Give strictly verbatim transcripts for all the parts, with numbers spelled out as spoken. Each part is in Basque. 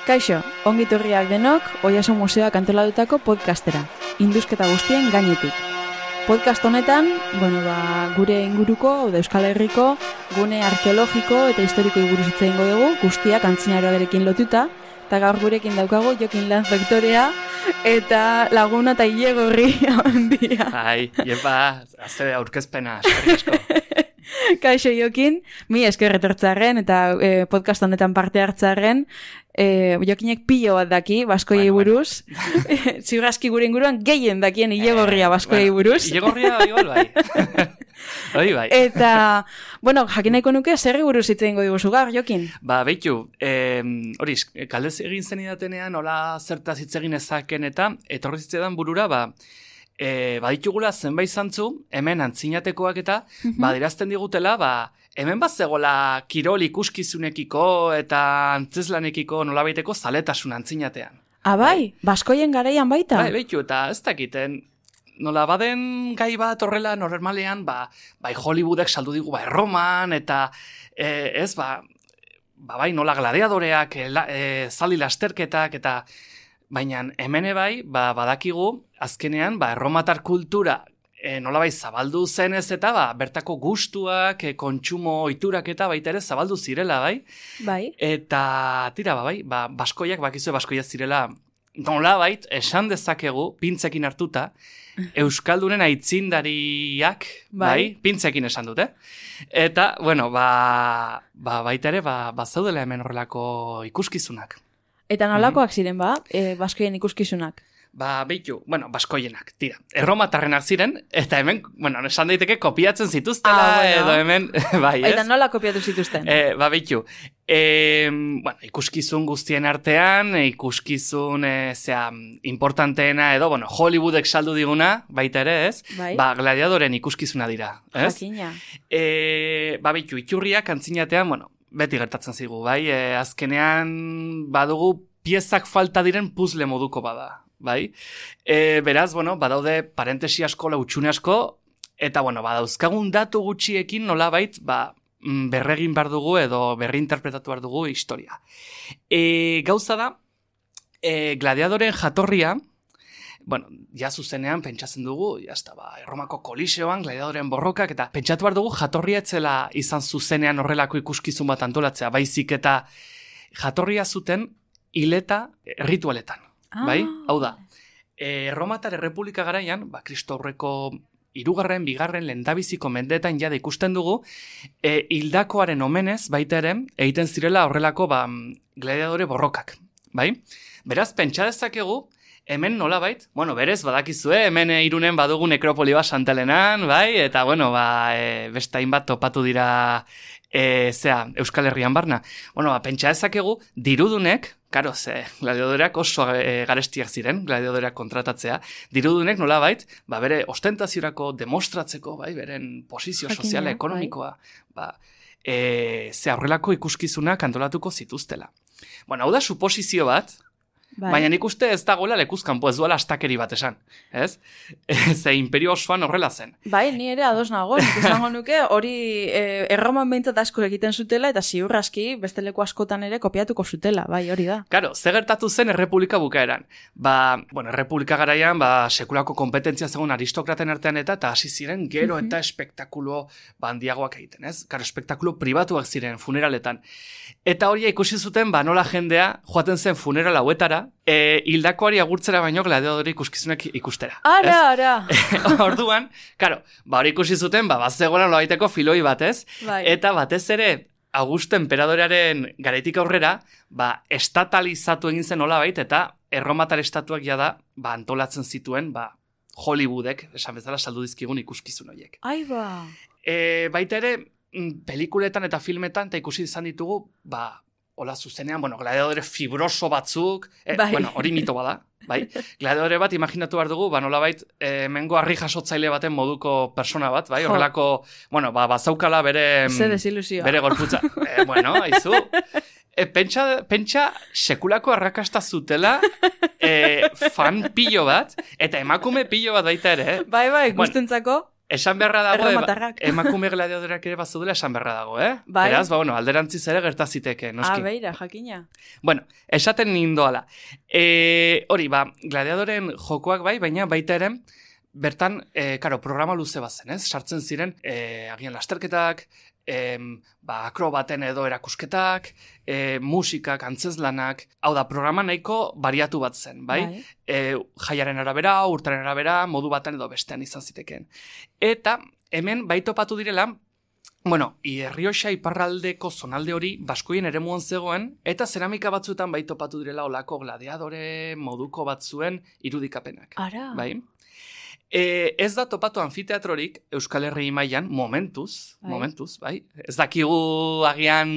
Kaixo, ongitorriak denok, Oiaso Museoak antolatutako podcastera, induzketa guztien gainetik. Podcast honetan, bueno, ba, gure inguruko, edo Euskal Herriko, gune arkeologiko eta historiko buruz hitz egingo dugu, guztiak antzinaroarekin lotuta, eta gaur gurekin daukagu Jokin Lanz Bektorea, eta laguna eta ilegorri handia. Ai, jepa, azte aurkezpena, eskerrik asko. Kaixo Jokin, mi esker etortzarren eta eh, podcast honetan parte hartzarren, eh, Jokinek pilo bat daki, baskoiei bueno, buruz. Bueno. Ziurraski gure inguruan gehien dakien ilegorria baskoiei bueno, buruz. Ilegorria igual bai. Hoi bai. Eta, bueno, jakin nahiko nuke, zerri buruz hitz egingo diguzu gar, Jokin? Ba, beitu, eh, hori, kaldez egin zen idatenean, hola zertaz hitz egin ezaken eta, etorri zitzedan burura, ba, E, baditugula zenbait zantzu, hemen antzinatekoak eta, mm-hmm. badirazten digutela, ba, hemen bat zegoela kirol ikuskizunekiko eta antzeslanekiko nolabaiteko zaletasun antzinatean. Ah, bai? Baskoien garaian baita? Bai, beitu, eta ez dakiten, nola baden gai bat horrela normalean, ba, bai Hollywoodek saldu digu, bai Roman, eta e, ez, ba, ba, bai nola gladiadoreak, e, e, zaldi lasterketak, eta baina hemen bai, ba, badakigu, azkenean, ba, erromatar kultura e, nolabai zabaldu zenez eta ba, bertako gustuak, e, kontsumo ohiturak eta baita ere zabaldu zirela, bai? Bai. Eta, tira, ba, bai, ba, baskoiak, bakizue baskoiak zirela, nolabait, esan dezakegu, pintzekin hartuta, Euskaldunen aitzindariak, bai, bai pintzekin esan dute. Eta, bueno, ba, ba baita ere, ba, ba zaudela hemen horrelako ikuskizunak. Eta nolakoak ziren ba, e, baskoien ikuskizunak? Ba, beitu, bueno, baskoienak, tira. Erromatarrenak ziren, eta hemen, bueno, esan daiteke kopiatzen zituztela, ah, bueno. Edo hemen, bai, ez? Eta nola kopiatu zituzten? E, ba, beitu, e, bueno, ikuskizun guztien artean, ikuskizun, e, zera, importanteena, edo, bueno, Hollywoodek saldu diguna, baita ere, ez? Bai. Ba, gladiadoren ikuskizuna dira, ez? Jakina. E, ba, beitu, iturriak antzinatean, bueno, beti gertatzen zigu, bai? E, azkenean badugu piezak falta diren puzzle moduko bada, bai? E, beraz, bueno, badaude parentesi asko, lautxune asko, eta, bueno, badauzkagun datu gutxiekin nolabait, ba, berregin behar dugu edo berri interpretatu behar dugu historia. E, gauza da, e, gladiadoren jatorria, bueno, ja zuzenean pentsatzen dugu, jazta, ba, Erromako koliseoan, gladiadoren borrokak, eta pentsatu behar dugu jatorria etzela izan zuzenean horrelako ikuskizun bat antolatzea, baizik eta jatorria zuten hileta ritualetan, ah. bai? Hau da, Erromatar Errepublika garaian, ba, Kristo aurreko hirugarren, bigarren, lehendabiziko mendeetan jada ikusten dugu, e, hildakoaren omenez, baita ere, egiten zirela horrelako, ba, gladiadore borrokak, bai? Beraz, pentsa dezakegu, hemen nolabait, bueno, berez, badakizue, hemen e, Irunen badugu nekropoli bat Santelenan, bai, eta, bueno, ba, e, beste hainbat topatu dira, e, zea, Euskal Herrian barna. Bueno, ba, pentsa ezakegu, dirudunek, karo, ze, gladiadoreak oso e, garestiak ziren, gladiadoreak kontratatzea, dirudunek nolabait, ba, bere ostentaziorako demostratzeko, bai, beren posizio soziala, ekonomikoa, bai. ba, e, ze horrelako ikuskizunak antolatuko zituztela. Bueno, hau da suposizio bat, bai. Baina nik uste ez dagoela lekuzkanpo, ez duela astakeri bat esan, ez? Ze imperio osoan horrela zen. Bai, ni ere ados nago, nik izango nuke hori e, erroman behintzat asko egiten zutela eta ziurraski beste leku askotan ere kopiatuko zutela, bai, hori da. Karo, ze gertatu zen errepublika bukaeran. Ba, bueno, errepublika garaian, ba, sekulako kompetentzia zegoen aristokraten artean eta eta hasi ziren gero uh-huh. eta espektakulo bandiagoak egiten, ez? Karo, espektakulo pribatuak ziren funeraletan. Eta hori ikusi zuten, ba, nola jendea joaten zen funeral hauetara, E, hildakoari agurtzera baino gladiadore ikuskizunak ikustera. Ara, ara. Orduan, karo, ba hori ikusi zuten, ba, bat zegoela nolabaiteko filoi batez, bai. Eta batez ere, Augusto Enperadorearen garaitik aurrera, ba, estatalizatu egin zen nolabait, eta erromatar estatuak jada, ba, antolatzen zituen, ba, Hollywoodek, esan bezala saldu dizkigun ikuskizun horiek. Ai ba. E, baita ere, pelikuletan eta filmetan, eta ikusi izan ditugu, ba, hola zuzenean, bueno, gladiadore fibroso batzuk, eh, bai. Bueno, hori mito bada, bai? Gladiadore bat, imaginatu behar dugu, ba, nolabait, eh, mengo harri jasotzaile baten moduko persona bat, bai? Horrelako, bueno, ba, bazaukala bere... Ze desilusioa. Bere gorputza. Eh, bueno, haizu... E, pentsa, pentsa sekulako arrakasta zutela e, fan pilo bat, eta emakume pilo bat baita ere. Eh? Bai, bai, guztentzako. Esan beharra dago, Erromatarrak. e, emakume gladiadoreak ere bazudela esan beharra dago, eh? Bai. Beraz, ba, bueno, alderantziz ere gertaziteke, noski. Ah, beira, jakina. Bueno, esaten nindoala. E, hori, ba, gladiadoren jokoak bai, baina baita ere, bertan, e, karo, programa luze bazen, ez? Sartzen ziren, e, agian lasterketak, e, ba, akrobaten edo erakusketak, e, musikak, antzezlanak, hau da, programa nahiko bariatu bat zen, bai? Bai. E, jaiaren arabera, urtaren arabera, modu baten edo bestean izan zitekeen. Eta, hemen, bai topatu direla, bueno, Errioxa iparraldeko zonalde hori baskoien eremuan zegoen, eta zeramika batzuetan bai topatu direla olako gladiadore moduko batzuen irudikapenak. Ara. Bai? E, ez da topatu anfiteatrorik Euskal Herri mailan momentuz, Bai. momentuz, bai? Ez dakigu agian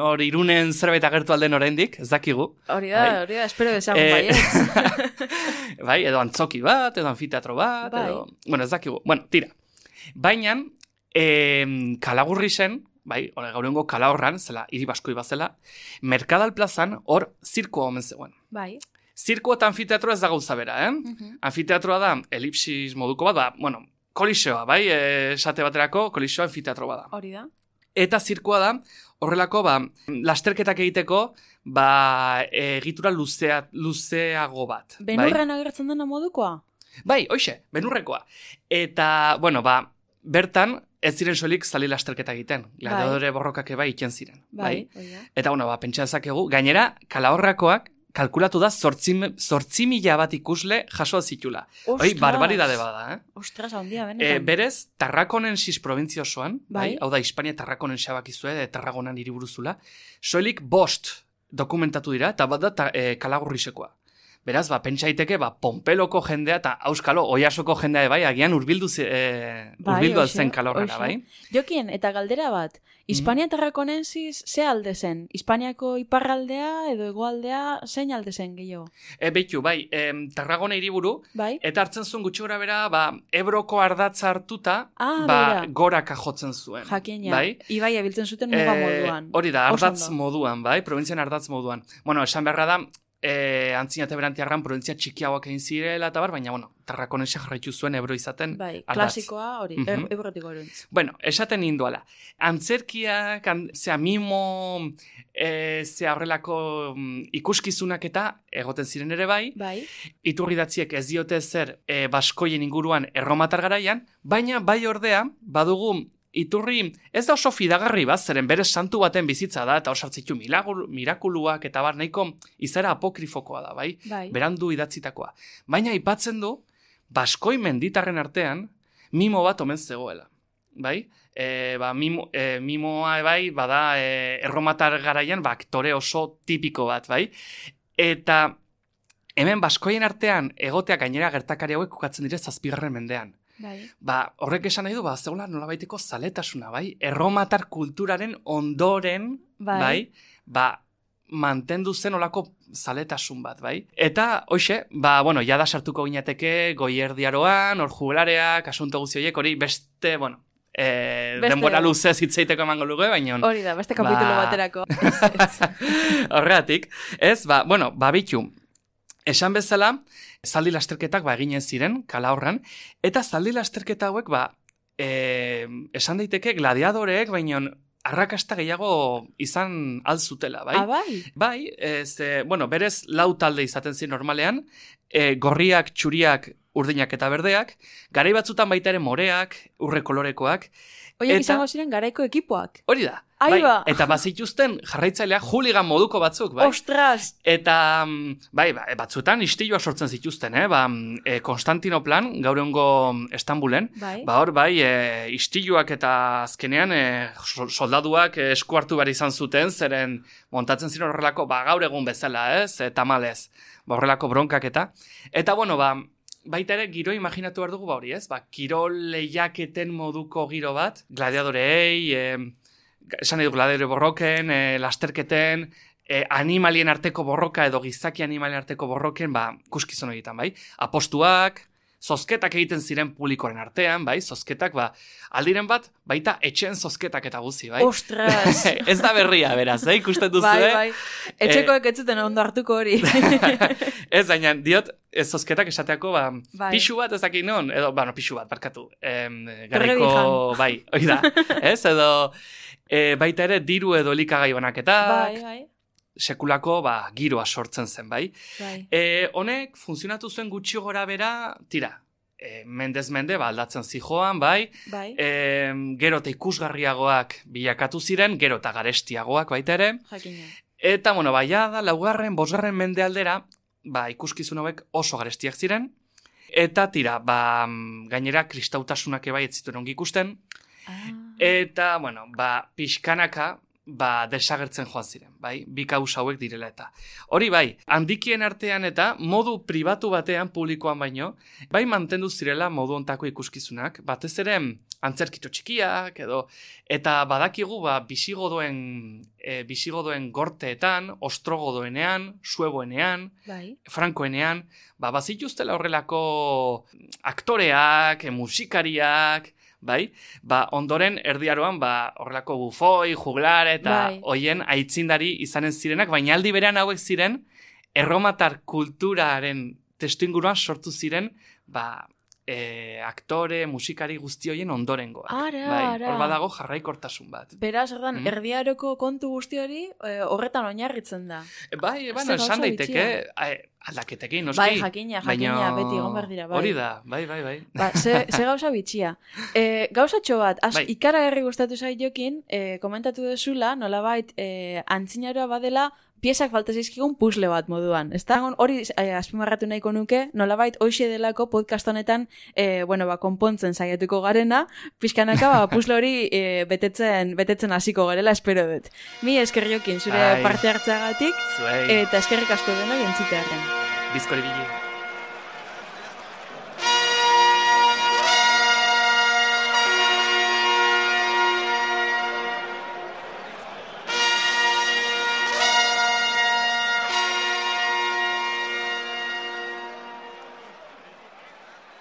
hor Irunen zerbait agertu alden oraindik, ez dakigu. Hori da, Bai. hori da, espero desagun Eh, baiet. bai, edo antzoki bat, edo anfiteatro bat, Bai. edo... Bueno, ez dakigu. Bueno, tira. Baina, eh, Kalagurri zen, bai, hori gaurrengo Kalahorran, zela, hiri baskoi bazela, Merkadal plazan hor zirkoa omen zegoen. Bai. Zirko eta anfiteatro ez da gauza bera, eh? Mhm. Anfiteatroa da elipsis moduko bat, ba, bueno, koliseoa, bai, eh, esate baterako koliseoa anfiteatro bada. Hori da. Eta zirkoa da, horrelako, ba, lasterketak egiteko, ba, egitura luzea, luzeago bat. bai? Benurren agertzen dena modukoa? Bai, hoxe, benurrekoa. Eta, bueno, ba, bertan, ez ziren soilik zali lasterketa egiten. Gladiadore borrokak bai iten ziren. Bai, hori da. Eta, bueno, ba, pentsa dezakegu, gainera, Kalahorrakoak, kalkulatu da zortzi mila bat ikusle jasoa zitula. Hoi, Ostras! barbaridade bada, eh? Ostras, handia, E, benetan. berez, Tarrakonensis provintzia osoan, bai. Bai. Hau da, Hispania Tarrakonen xabakizue, e, Tarragonan hiriburuzula, soilik bost dokumentatu dira, eta bat da ta, e, Kalagurrisekoa. Beraz, ba, pentsa daiteke, ba, Pompeloko jendea eta Auskalo, Oiasoko jendea, bai, agian urbildu, zi- e, Bai, urbildu hoxe, zen Kalahorrara, hoxe. bai? Jokien, eta galdera bat, Hispania Tarrakonensis ze alde zen? Hispaniako iparraldea edo hegoaldea zein alde zen gehiago? E, beitu, bai, em, Tarragona hiriburu, Bai? eta hartzen zuen gutxi gora bera, ba, Ebroko ardatza hartuta, Ah, ba, begira. goraka jotzen zuen. Jakina, Bai? ibai abiltzen zuten muga Eh, moduan. Hori da, Oso ardatz ondo. moduan, bai? Probintzian ardatz moduan. Bueno, esan beharra da, e, antzinate berantiarran provintzia txikiagoak egin zirela eta bar, baina, bueno, Tarrakonense jarraitu zuen Ebro izaten Bai, ardatz. klasikoa hori, Mhm. er, ebrotiko eruntz. Bueno, esaten ninduala. Antzerkiak, an, zea mimo, e, zea horrelako mm, ikuskizunak eta egoten ziren ere bai, Bai, iturridatziek ez diote zer e, baskoien inguruan erromatar garaian, baina bai ordea, badugu iturri ez da oso fidagarri bat, zeren bere santu baten bizitza da, eta osartzitu mirakuluak, eta bar nahiko izara apokrifokoa da, bai? bai. Berandu idatzitakoa. Baina aipatzen du, baskoi menditarren artean, mimo bat omen zegoela. Bai? E, ba, mimo, e, mimoa bai, bada e, erromatar garaian, ba, aktore oso tipiko bat, bai? Eta hemen baskoien artean egotea gainera gertakari hauek kokatzen dire zazpigarren mendean. Bai. Ba, horrek esan nahi du, ba, zegoela nolabaiteko zaletasuna, bai? Erromatar kulturaren ondoren, Bai. bai? Ba, mantendu zen olako zaletasun bat, bai? Eta, hoxe, ba, bueno, jada sartuko ginateke goierdiaroan, hor jugulareak, asunto guzti horiek, hori beste, bueno, e, Beste- denbora luze zitzeiteko emango luke, baina... Hori da, beste kapitulo Ba. baterako. Ez, ez. Horregatik, ez, ba, bueno, babitu, esan bezala, zaldi lasterketak ba eginen ziren, Kalahorran, eta zaldi lasterketa hauek, ba, e, esan daiteke gladiadoreek, baina arrakasta gehiago izan alzutela, bai? Ah, bai? Bai, ez, e, bueno, berez lau talde izaten ziren normalean, e, gorriak, txuriak, urdinak eta berdeak, garai batzutan baita ere moreak, urre kolorekoak, Oiek Eta- izango ziren garaiko ekipoak. hori da. Ai bai, ba. eta bazituzten jarraitzaileak hooligan moduko batzuk, bai? Ostras! Eta, mm, bai, ba, batzuetan istiluak sortzen zituzten, eh? Ba, mm, e, Konstantinoplan, gaur egungo Istanbulen, Bai. ba hor, bai, e, istiluak eta azkenean e, so- soldaduak e, esku hartu behar izan zuten, zeren montatzen ziren horrelako, ba, gaur egun bezala, ez? E, tamalez, ba, horrelako bronkak eta. Eta, bueno, ba, baita ere, giro imaginatu behar dugu, ba hori, ez? Ba, kirol lehiaketen moduko giro bat, gladiadorei, e, esan nahi du gladiadore borroken, e, lasterketen, e, animalien arteko borroka edo gizaki animalien arteko borroken, ba, kuskizun egiten, bai? Apostuak, zozketak egiten ziren publikoren artean, bai, zozketak, ba, aldiren bat, baita etxen zozketak eta guzi, bai. Ostras! Ez da berria, beraz, eh, ikusten duzu, bai, eh? bai, etxekoek ez zuten ondo hartuko hori. Ez, baina, diot, ez zozketak esateako, ba, bai. pixu bat ez dakit non, edo, bueno, pixu bat, barkatu, em, garriko, bai, hori da, ez, edo, e, baita ere, diru edo elikagai banaketak, bai, bai. sekulako, ba, giroa sortzen zen, bai. bai. E, honek, funtzionatu zuen gutxi gora bera, tira, e, mendez mende, ba, aldatzen zijoan, bai, bai. e, gero eta ikusgarriagoak bilakatu ziren, gero eta garestiagoak baita ere, Jakina. eta, bueno, baia da, laugarren, bosgarren mende aldera, ba, ikuskizun hauek oso garestiak ziren, eta tira, ba, gainera, kristautasunak ebai ez zituen ongi ikusten, Ah. eta, bueno, ba, pixkanaka, ba, desagertzen joan ziren, bai, bi kausa hauek direla eta. Hori bai, handikien artean eta modu pribatu batean publikoan baino, bai mantendu zirela modu ontako ikuskizunak, batez ere antzerkito txikiak edo, eta badakigu ba, bisigodoen, e, bisigodoen gorteetan, ostrogodoenean, sueboenean, Bai. frankoenean, ba, bazituztela horrelako aktoreak, musikariak, bai, ba, ondoren erdiaroan, ba, horrelako bufoi, juglar, eta bai. hoien aitzindari izanen zirenak, baina aldi berean hauek ziren, erromatar kulturaren testuinguruan sortu ziren, ba, e, aktore, musikari guzti hoien ondorengoak. Ara, bai, ara. hor badago jarraikortasun bat. Beraz, ordan, Mm. erdiaroko kontu guzti hori e, horretan oinarritzen da. E, bai, Ez bueno, da esan gauza daiteke, bitxia. e, aldaketekin, noski. Bai, jakina, jakina, baina... beti egon behar dira, bai. Hori da, bai, bai, bai. Ba, ze, ze gauza bitxia. E, gauzatxo bat, az, Bai. ikaragarri gustatu zaiokin, e, komentatu dezula, nolabait, e, antzinaroa badela, piezak falta zaizkigun puzzle bat moduan. Ez da, hori eh, azpimarratu nahiko nuke, nolabait hoxe delako podcast honetan, eh, bueno, ba, konpontzen saiatuko garena, pixkanaka, ba, puzzle hori eh, betetzen, betetzen hasiko garela, espero dut. Mi eskerriokin zure Ai. parte hartzeagatik, Zuei, eta eskerrik asko denoi entzitearen. bizkori bili.